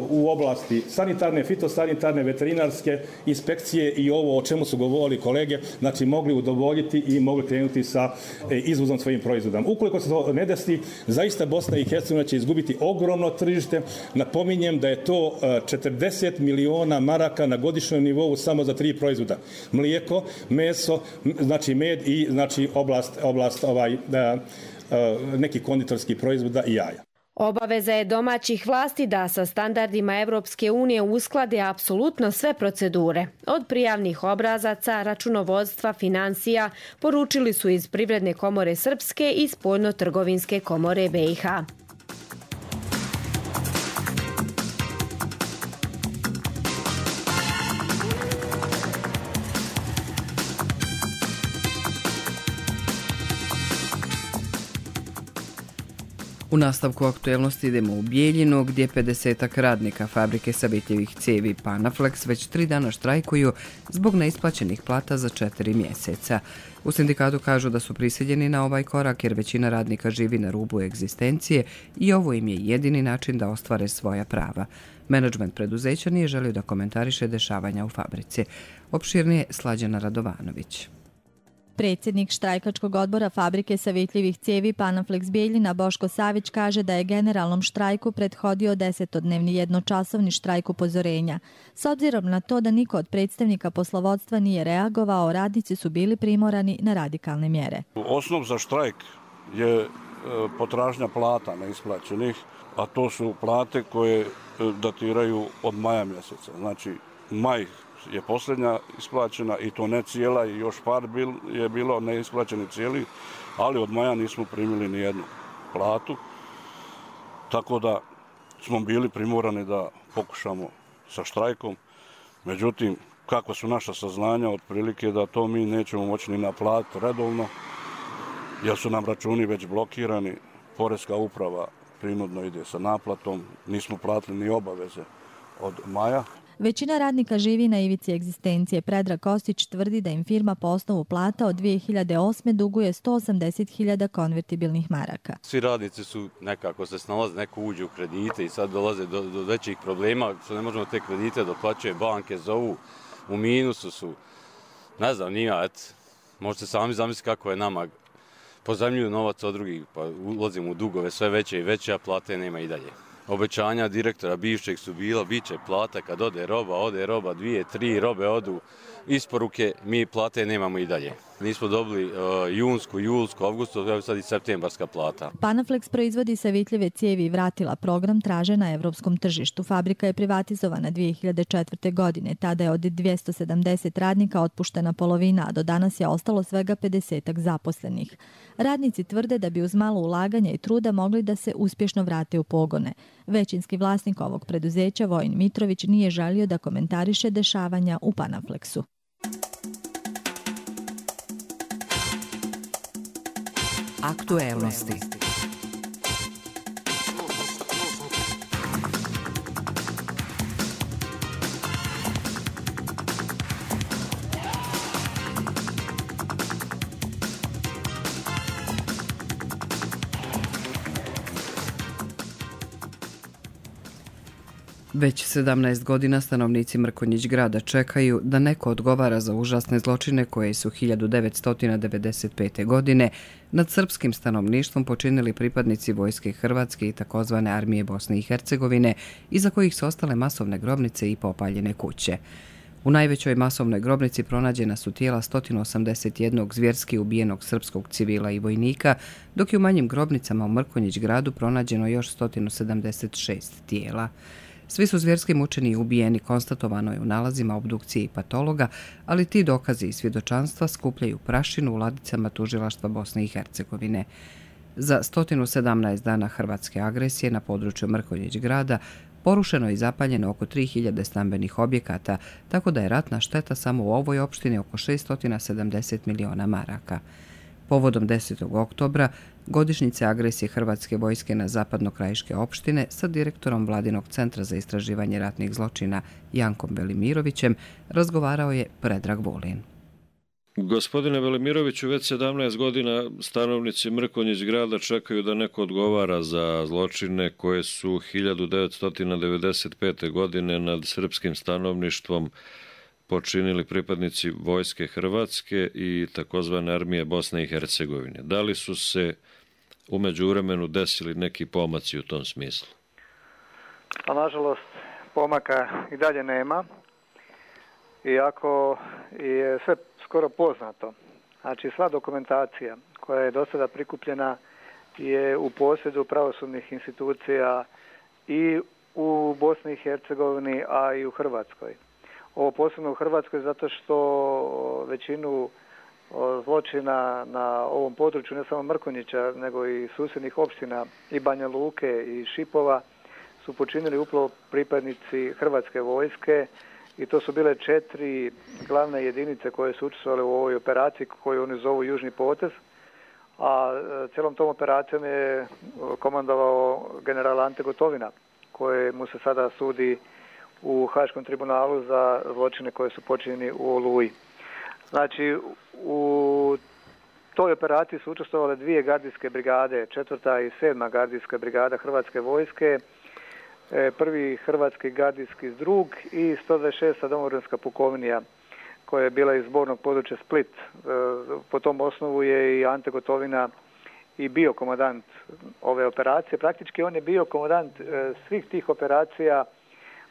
u oblasti sanitarne, fitosanitarne, veterinarske inspekcije i ovo o čemu su govorili kolege, znači mogli udovoljiti i mogli krenuti sa izvozom svojim proizvodom. Ukoliko se to ne desi, zaista Bosna i Hercegovina će izgubiti ogromno tržište. Napominjem da je to četrdeset miliona maraka na godišnjem nivou samo za tri proizvoda. Mlijeko, meso, znači med i znači oblast, oblast ovaj, neki konditorski proizvoda i jaja. Obaveza je domaćih vlasti da sa standardima Evropske unije usklade apsolutno sve procedure. Od prijavnih obrazaca, računovodstva, financija, poručili su iz Privredne komore Srpske i Spoljno-trgovinske komore B i H. U nastavku aktuelnosti idemo u Bijeljinu, gdje pedesetak radnika fabrike sabitljivih cijevi Panaflex već tri dana štrajkuju zbog neisplaćenih plata za četiri mjeseca. U sindikatu kažu da su prisiljeni na ovaj korak jer većina radnika živi na rubu egzistencije i ovo im je jedini način da ostvare svoja prava. Menadžment preduzeća nije želio da komentariše dešavanja u fabrici. Opširnije Slađana Radovanović. Predsjednik štrajkačkog odbora fabrike savitljivih cijevi Panaflex Bijeljina Boško Savić kaže da je generalnom štrajku prethodio desetodnevni jednočasovni štrajk upozorenja. S obzirom na to da niko od predstavnika poslovodstva nije reagovao, radnici su bili primorani na radikalne mjere. Osnov za štrajk je potražnja plata neisplaćenih, a to su plate koje datiraju od maja mjeseca. Znači, maj je posljednja isplaćena i to ne cijela i još par bil, je bilo neisplaćeni cijeli, ali od maja nismo primili ni jednu platu, tako da smo bili primorani da pokušamo sa štrajkom. Međutim, kako su naša saznanja, otprilike da to mi nećemo moći ni naplatiti redovno, jer su nam računi već blokirani, Poreska uprava prinudno ide sa naplatom, nismo platili ni obaveze od maja. Većina radnika živi na ivici egzistencije. Predrag Kostić tvrdi da im firma po osnovu plata od dvije hiljade osme duguje sto osamdeset hiljada konvertibilnih maraka. Svi radnici su nekako se snalaze, neko uđe u kredite i sad dolaze do, do većih problema, što ne možemo te kredite doplaćuje, banke zovu, u minusu su. Ne znam, nije, et, možete sami zamisliti kako je nama. Pozajmljuju novac od drugih, pa ulazimo u dugove sve veće i veće, a plate nema i dalje. Obećanja direktora bivšeg su bila, bit će plata kad ode roba, ode roba, dvije, tri robe odu, isporuke, mi plate nemamo i dalje. Nismo dobili uh, junsku, julsku, avgustu, evo sad i septembarska plata. Panaflex proizvodi savitljive cijevi i vratila. Program traže na evropskom tržištu. Fabrika je privatizovana dvije hiljade četvrte. godine. Tada je od dvjesto sedamdeset radnika otpuštena polovina, a do danas je ostalo svega pedesetak zaposlenih. Radnici tvrde da bi uz malo ulaganja i truda mogli da se uspješno vrate u pogone. Većinski vlasnik ovog preduzeća, Vojin Mitrović, nije želio da komentariše dešavanja u Panaflexu. Aktuelnosti. Već sedamnaest godina stanovnici Mrkonjić grada čekaju da neko odgovara za užasne zločine koje su hiljadu devetsto devedeset pete. godine nad srpskim stanovništvom počinili pripadnici Vojske Hrvatske i takozvane Armije Bosne i Hercegovine, iza kojih su ostale masovne grobnice i popaljene kuće. U najvećoj masovnoj grobnici pronađena su tijela sto osamdeset jednog zvjerski ubijenog srpskog civila i vojnika, dok je u manjim grobnicama u Mrkonjić gradu pronađeno još sto sedamdeset šest tijela. Svi su zvjerski mučeni i ubijeni, konstatovano je u nalazima obdukcije i patologa, ali ti dokazi i svjedočanstva skupljaju prašinu u ladicama tužilaštva Bosne i Hercegovine. Za sto sedamnaest dana hrvatske agresije na području Mrkonjić grada porušeno i zapaljeno oko tri hiljade stambenih objekata, tako da je ratna šteta samo u ovoj opštini oko šesto sedamdeset miliona maraka. Povodom desetog oktobra, godišnjice agresije Hrvatske vojske na zapadnokrajiške opštine, sa direktorom Vladinog centra za istraživanje ratnih zločina Jankom Velimirovićem razgovarao je Predrag Vulin. Gospodine Velimiroviću, već sedamnaest godina stanovnici Mrkonjić grada čekaju da neko odgovara za zločine koje su hiljadu devetsto devedeset pete. godine nad srpskim stanovništvom počinili pripadnici Vojske Hrvatske i takozvane Armije Bosne i Hercegovine. Da li su se u međuvremenu desili neki pomaci u tom smislu? A nažalost, pomaka i dalje nema, iako je sve skoro poznato. Znači, sva dokumentacija koja je do sada prikupljena je u posjedu pravosudnih institucija i u Bosni i Hercegovini, a i u Hrvatskoj. Ovo posebno u Hrvatskoj zato što većinu zločina na ovom području, ne samo Mrkonjića, nego i susjednih opština i Banja Luke i Šipova, su počinili upravo pripadnici Hrvatske vojske i to su bile četiri glavne jedinice koje su učestvovale u ovoj operaciji koju oni zovu Južni potez, a cijelom tom operacijom je komandovao general Ante Gotovina, kojemu se sada sudi u Haškom tribunalu za zločine koje su počinjeni u Oluji. Znači, u toj operaciji su učestvovale dvije gardijske brigade, četvrta i sedma gardijska brigada Hrvatske vojske, prvi hrvatski gardijski zdrug i sto dvadeset šesta domovinska pukovnija koja je bila iz zbornog područja Split. Po tom osnovu je i Ante Gotovina i bio komandant ove operacije. Praktički on je bio komandant svih tih operacija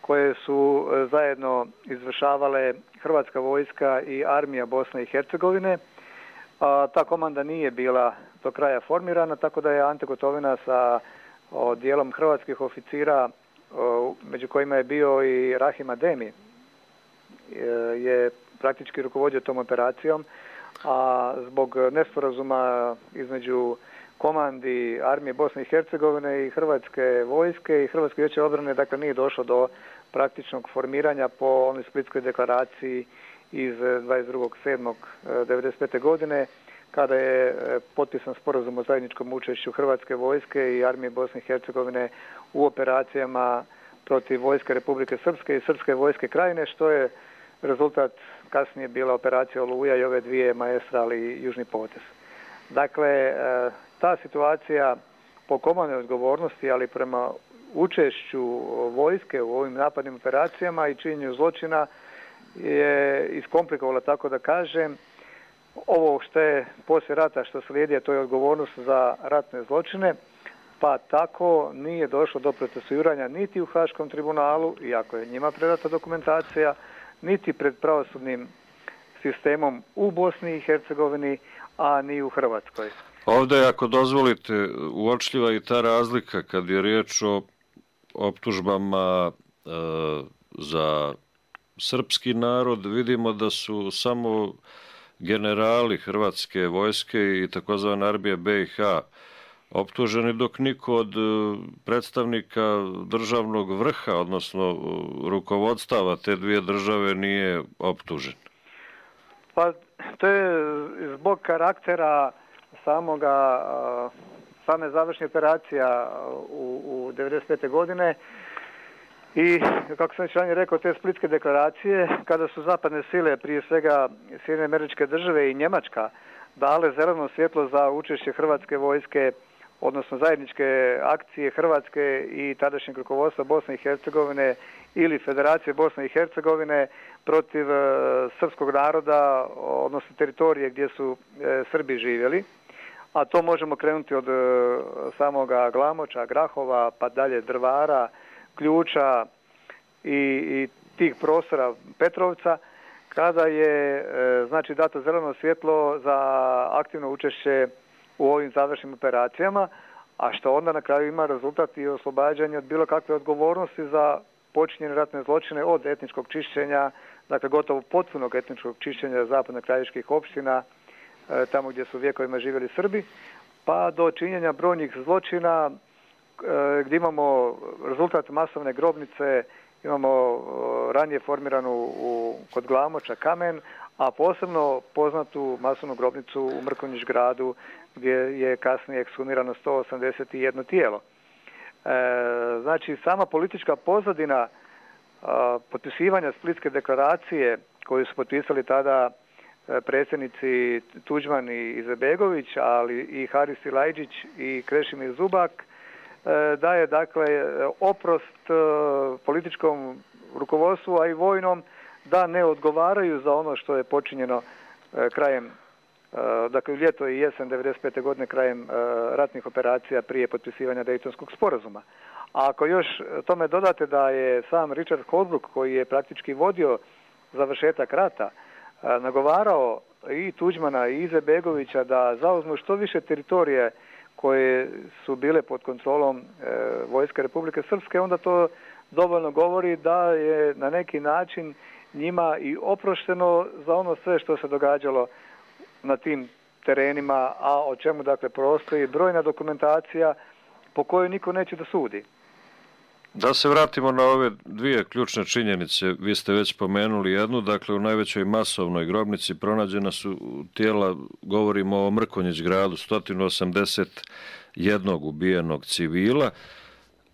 koje su zajedno izvršavale Hrvatska vojska i Armija Bosne i Hercegovine. A ta komanda nije bila do kraja formirana, tako da je Ante Gotovina sa o, dijelom hrvatskih oficira, o, među kojima je bio i Rahim Ademi, je praktički rukovodio tom operacijom, a zbog nesporazuma između komandi Armije Bosne i Hercegovine i Hrvatske vojske i Hrvatske vijeće obrane, dakle nije došlo do praktičnog formiranja po onoj Splitskoj deklaraciji iz dvadeset drugog sedmog devedeset pete. godine, kada je potpisan sporazum o zajedničkom učešću Hrvatske vojske i Armije Bosne i Hercegovine u operacijama protiv vojske Republike Srpske i Srpske vojske Krajine, što je rezultat kasnije bila operacija Oluja i ove dvije Maestral i Južni potez. Dakle, ta situacija po komandnoj odgovornosti, ali prema učešću vojske u ovim napadnim operacijama i činjenju zločina je iskomplikovala, tako da kažem. Ovo što je poslije rata što slijedi, to je odgovornost za ratne zločine, pa tako nije došlo do procesuiranja niti u Haškom tribunalu, iako je njima predata dokumentacija, niti pred pravosudnim sistemom u Bosni i Hercegovini, a ni u Hrvatskoj. Ovdje, ako dozvolite, uočljiva i ta razlika kad je riječ o optužbama e, za srpski narod. Vidimo da su samo generali Hrvatske vojske i takozvane armije be i ha optuženi, dok niko od predstavnika državnog vrha, odnosno rukovodstava te dvije države, nije optužen. Pa to je zbog karaktera samoga, same završne operacija u, u devedeset pete godine i, kako sam već ranije rekao, te Splitske deklaracije, kada su zapadne sile, prije svega Sjedinjene Američke Države i Njemačka, dale zeleno svjetlo za učešće Hrvatske vojske, odnosno zajedničke akcije Hrvatske i tadašnjeg rukovodstva Bosne i Hercegovine ili Federacije Bosne i Hercegovine protiv srpskog naroda, odnosno teritorije gdje su Srbi živjeli. A to možemo krenuti od samoga Glamoča, Grahova, pa dalje Drvara, Ključa i, i tih prostora Petrovca, kada je znači dato zeleno svjetlo za aktivno učešće u ovim završnim operacijama, a što onda na kraju ima rezultat i oslobađanje od bilo kakve odgovornosti za počinjene ratne zločine, od etničkog čišćenja, dakle gotovo potpunog etničkog čišćenja zapadno-krajiških opština, tamo gdje su vjekovima živjeli Srbi, pa do činjenja brojnih zločina gdje imamo rezultat masovne grobnice, imamo ranije formiranu u, kod Glamoča Kamen, a posebno poznatu masovnu grobnicu u Mrkonjić gradu gdje je kasnije ekshumirano sto osamdeset jedno tijelo. E, znači, sama politička pozadina a, potpisivanja Splitske deklaracije koju su potpisali tada predsjednici Tuđman i Izetbegović, ali i Haris Silajdžić i Krešimir Zubak, daje dakle oprost političkom rukovodstvu, a i vojnom, da ne odgovaraju za ono što je počinjeno krajem, dakle ljeto i jesen devedeset pete godine, krajem ratnih operacija prije potpisivanja Dejtonskog sporazuma. A ako još tome dodate da je sam Richard Holbrooke, koji je praktički vodio završetak rata, nagovarao i Tuđmana i Izetbegovića da zauzmu što više teritorije koje su bile pod kontrolom e, vojske Republike Srpske, onda to dovoljno govori da je na neki način njima i oprošteno za ono sve što se događalo na tim terenima, a o čemu dakle postoji brojna dokumentacija po kojoj niko neće da sudi. Da se vratimo na ove dvije ključne činjenice, vi ste već spomenuli jednu, dakle u najvećoj masovnoj grobnici pronađena su tijela, govorimo o Mrkonjić gradu, sto osamdeset jednog ubijenog civila,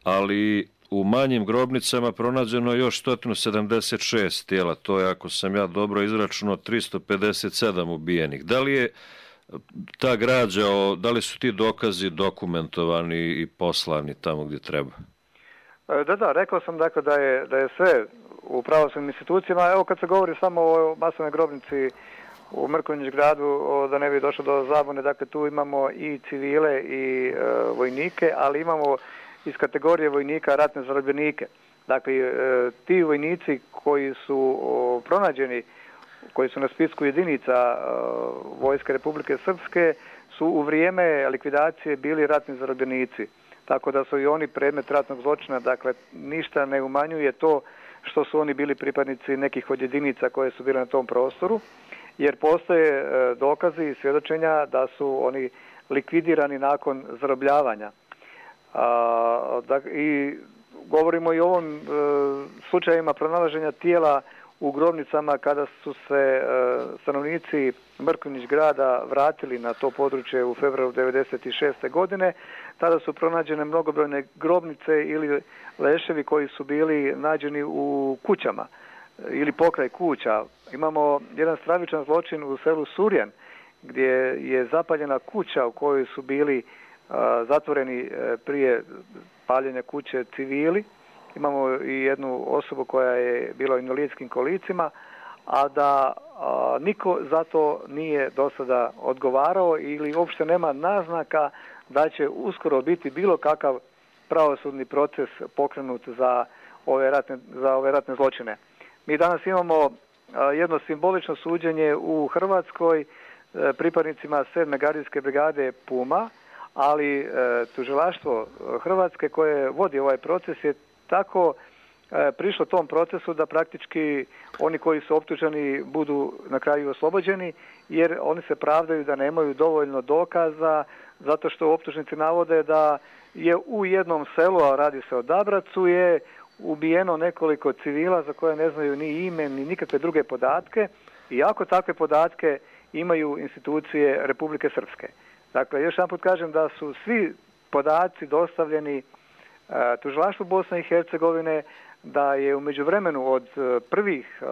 ali u manjim grobnicama pronađeno je još sto sedamdeset šest tijela, to je, ako sam ja dobro izračunao, tristo pedeset sedam ubijenih. Da li je ta građa, da li su ti dokazi dokumentovani i poslani tamo gdje treba? Da, da, rekao sam dakle da je, da je sve u pravosudnim institucijama. Evo kad se govori samo o masovnoj grobnici u Mrkonjić gradu, da ne bi došlo do zabune, dakle tu imamo i civile i e, vojnike, ali imamo iz kategorije vojnika ratne zarobljenike. Dakle, e, ti vojnici koji su o, pronađeni, koji su na spisku jedinica e, vojske Republike Srpske, su u vrijeme likvidacije bili ratni zarobljenici. Tako da su i oni predmet ratnog zločina, dakle ništa ne umanjuje to što su oni bili pripadnici nekih od jedinica koje su bile na tom prostoru, jer postoje dokazi i svjedočenja da su oni likvidirani nakon zarobljavanja. A, da, i govorimo i o ovom e, slučajima pronalaženja tijela u grobnicama kada su se stanovnici Mrkonjić grada vratili na to područje u februaru devedeset šeste. godine. Tada su pronađene mnogobrojne grobnice ili leševi koji su bili nađeni u kućama ili pokraj kuća. Imamo jedan stravičan zločin u selu Surjan gdje je zapaljena kuća u kojoj su bili zatvoreni prije paljenja kuće civili. Imamo i jednu osobu koja je bila u invalidskim kolicima, a da a, niko za to nije do sada odgovarao ili uopšte nema naznaka da će uskoro biti bilo kakav pravosudni proces pokrenut za ove ratne, za ove ratne zločine. Mi danas imamo a, jedno simbolično suđenje u Hrvatskoj a, pripadnicima sedme gardijske brigade Puma, ali e, tužilaštvo Hrvatske koje vodi ovaj proces je tako e, prišlo tom procesu da praktički oni koji su optuženi budu na kraju oslobođeni, jer oni se pravdaju da nemaju dovoljno dokaza, zato što optužnici navode da je u jednom selu, a radi se o Dabracu, je ubijeno nekoliko civila za koje ne znaju ni ime ni nikakve druge podatke, i ako takve podatke imaju institucije Republike Srpske. Dakle, još jedan put kažem da su svi podaci dostavljeni uh, tužilaštvu Bosne i Hercegovine, da je u međuvremenu od uh, prvih uh,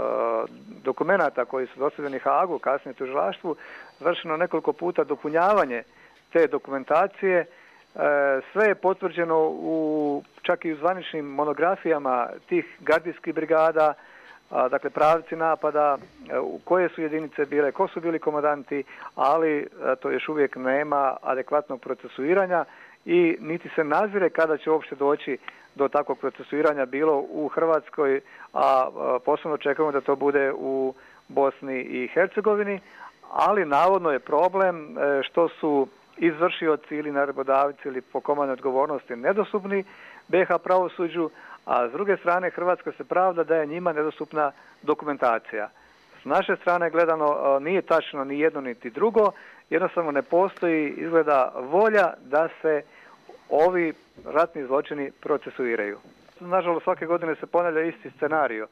dokumenata koji su dostavljeni Hagu, kasnije tužilaštvu, vršeno nekoliko puta dopunjavanje te dokumentacije. Uh, sve je potvrđeno u, čak i u zvaničnim monografijama tih gardijskih brigada, dakle pravci napada, u koje su jedinice bile, ko su bili komandanti, ali to još uvijek nema adekvatnog procesuiranja i niti se nazire kada će uopšte doći do takvog procesuiranja bilo u Hrvatskoj, a posebno čekamo da to bude u Bosni i Hercegovini, ali navodno je problem što su izvršioci ili naredbodavci ili po komandnoj odgovornosti nedostupni be ha pravosuđu, a s druge strane Hrvatska se pravda da je njima nedostupna dokumentacija. S naše strane gledano nije tačno ni jedno niti drugo, jednostavno ne postoji izgleda volja da se ovi ratni zločini procesuiraju. Nažalost, svake godine se ponavlja isti scenarij,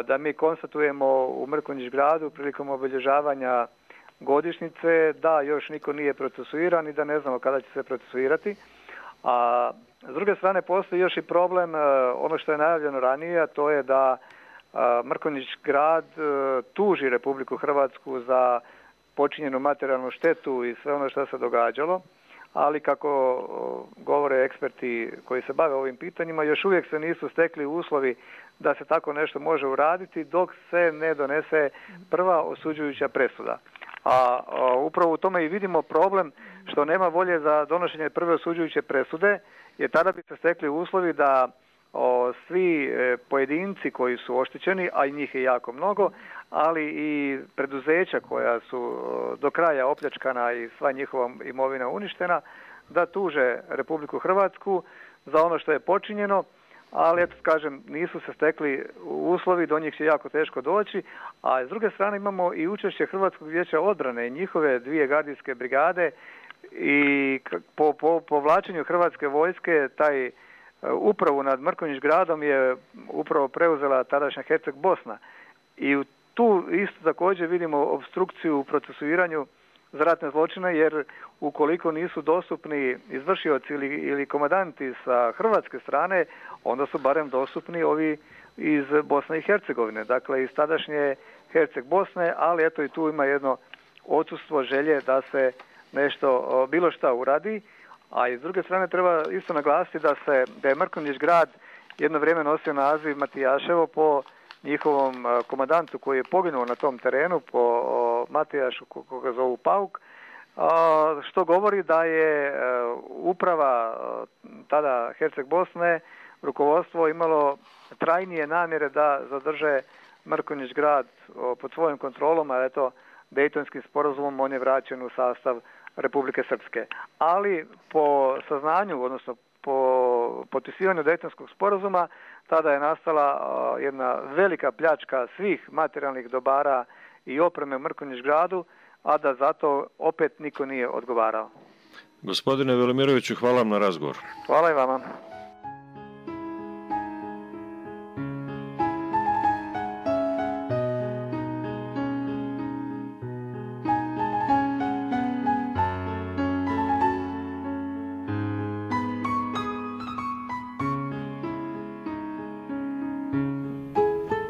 da mi konstatujemo u Mrkonjić gradu prilikom obilježavanja godišnjice da još niko nije procesuiran i da ne znamo kada će se procesuirati. A s druge strane postoji još i problem, ono što je najavljeno ranije, a to je da Mrkonjić grad tuži Republiku Hrvatsku za počinjenu materijalnu štetu i sve ono što se događalo, ali kako govore eksperti koji se bave ovim pitanjima, još uvijek se nisu stekli uslovi da se tako nešto može uraditi dok se ne donese prva osuđujuća presuda. A, a upravo u tome i vidimo problem što nema volje za donošenje prve osuđujuće presude, jer tada bi se stekli uslovi da o, svi e, pojedinci koji su oštećeni, a i njih je jako mnogo, ali i preduzeća koja su o, do kraja opljačkana i sva njihova imovina uništena, da tuže Republiku Hrvatsku za ono što je počinjeno, ali eto kažem, nisu se stekli uslovi, do njih će jako teško doći, a s druge strane imamo i učešće Hrvatskog vijeća odbrane i njihove dvije gardijske brigade i po, po povlačenju Hrvatske vojske taj upravu nad Mrkonjić gradom je upravo preuzela tadašnja Herceg Bosna i tu isto također vidimo obstrukciju u procesuiranju za ratne zločine, jer ukoliko nisu dostupni izvršioci ili, ili komandanti sa hrvatske strane, onda su barem dostupni ovi iz Bosne i Hercegovine, dakle iz tadašnje Herceg Bosne, ali eto i tu ima jedno odsustvo želje da se nešto, bilo šta uradi, a i s druge strane treba isto naglasiti da se da je Mrkonjić grad jedno vrijeme nosio naziv Matijaševo po njihovom komandantu koji je poginuo na tom terenu, po Matijašu koga zovu Pauk, što govori da je uprava tada Herceg Bosne, rukovodstvo imalo trajnije namjere da zadrže Mrkonjić grad pod svojom kontrolom, a eto Dejtonskim sporazumom on je vraćen u sastav Republike Srpske. Ali po saznanju, odnosno po potpisivanju Dejtonskog sporazuma, tada je nastala jedna velika pljačka svih materijalnih dobara i opreme u Mrkonjić gradu, a da zato opet niko nije odgovarao. Gospodine Velimiroviću, hvala vam na razgovor. Hvala i vama.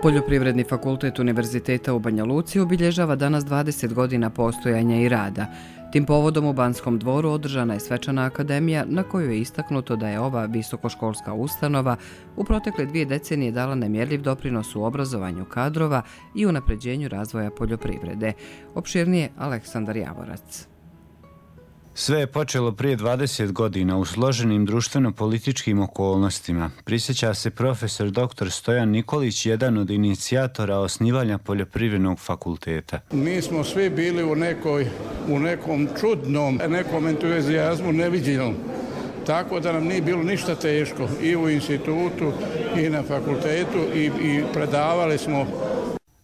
Poljoprivredni fakultet Univerziteta u Banja Luci obilježava danas dvadeset godina postojanja i rada. Tim povodom u Banskom dvoru održana je svečana akademija na kojoj je istaknuto da je ova visokoškolska ustanova u protekle dvije decenije dala nemjerljiv doprinos u obrazovanju kadrova i unapređenju razvoja poljoprivrede. Opširnije Aleksandar Javorac. Sve je počelo prije dvadeset godina u složenim društveno-političkim okolnostima. Prisjeća se profesor doktor Stojan Nikolić, jedan od inicijatora osnivanja Poljoprivrednog fakulteta. Mi smo svi bili u, nekoj, u nekom čudnom, nekom entuzijazmu neviđenom. Tako da nam nije bilo ništa teško i u institutu i na fakultetu i, i predavali smo.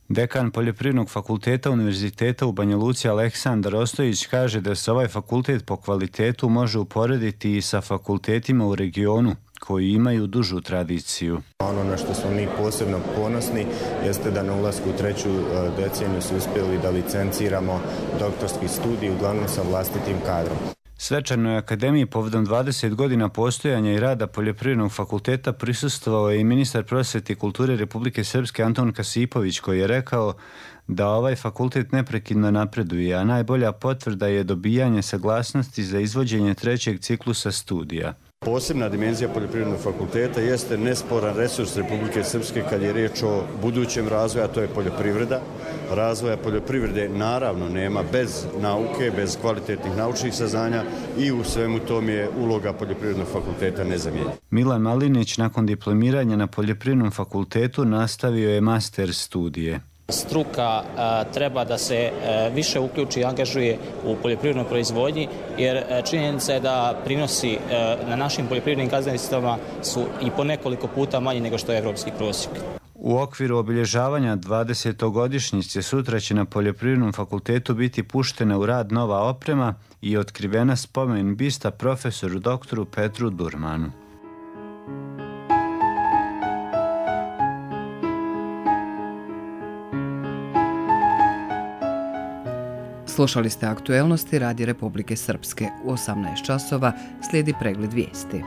Dekan Poljoprivrednog fakulteta Univerziteta u Banja Luci Aleksandar Ostojić kaže da se ovaj fakultet po kvalitetu može uporediti i sa fakultetima u regionu koji imaju dužu tradiciju. Ono na što smo mi posebno ponosni jeste da na ulasku u treću deceniju su uspjeli da licenciramo doktorski studij uglavnom sa vlastitim kadrom. Svečanoj akademiji povodom dvadeset godina postojanja i rada Poljoprivrednog fakulteta prisustvovao je i ministar prosvete i kulture Republike Srpske Anton Kasipović, koji je rekao da ovaj fakultet neprekidno napreduje, a najbolja potvrda je dobijanje saglasnosti za izvođenje trećeg ciklusa studija. Posebna dimenzija Poljoprivrednog fakulteta jeste nesporan resurs Republike Srpske kad je riječ o budućem razvoju, a to je poljoprivreda. Razvoja poljoprivrede naravno nema bez nauke, bez kvalitetnih naučnih saznanja i u svemu tom je uloga Poljoprivrednog fakulteta nezamijenjena. Milan Malinić nakon diplomiranja na Poljoprivrednom fakultetu nastavio je master studije. Struka a, treba da se a, više uključi i angažuje u poljoprivrednoj proizvodnji, jer a, činjenica je da prinosi a, na našim poljoprivrednim gazdinstvima su i po nekoliko puta manji nego što je evropski prosjek. U okviru obilježavanja dvadesetogodišnjice sutra će na Poljoprivrednom fakultetu biti puštena u rad nova oprema i otkrivena spomen bista profesoru doktoru Petru Durmanu. Slušali ste aktuelnosti Radija Republike Srpske. U osamnaest časova slijedi pregled vijesti.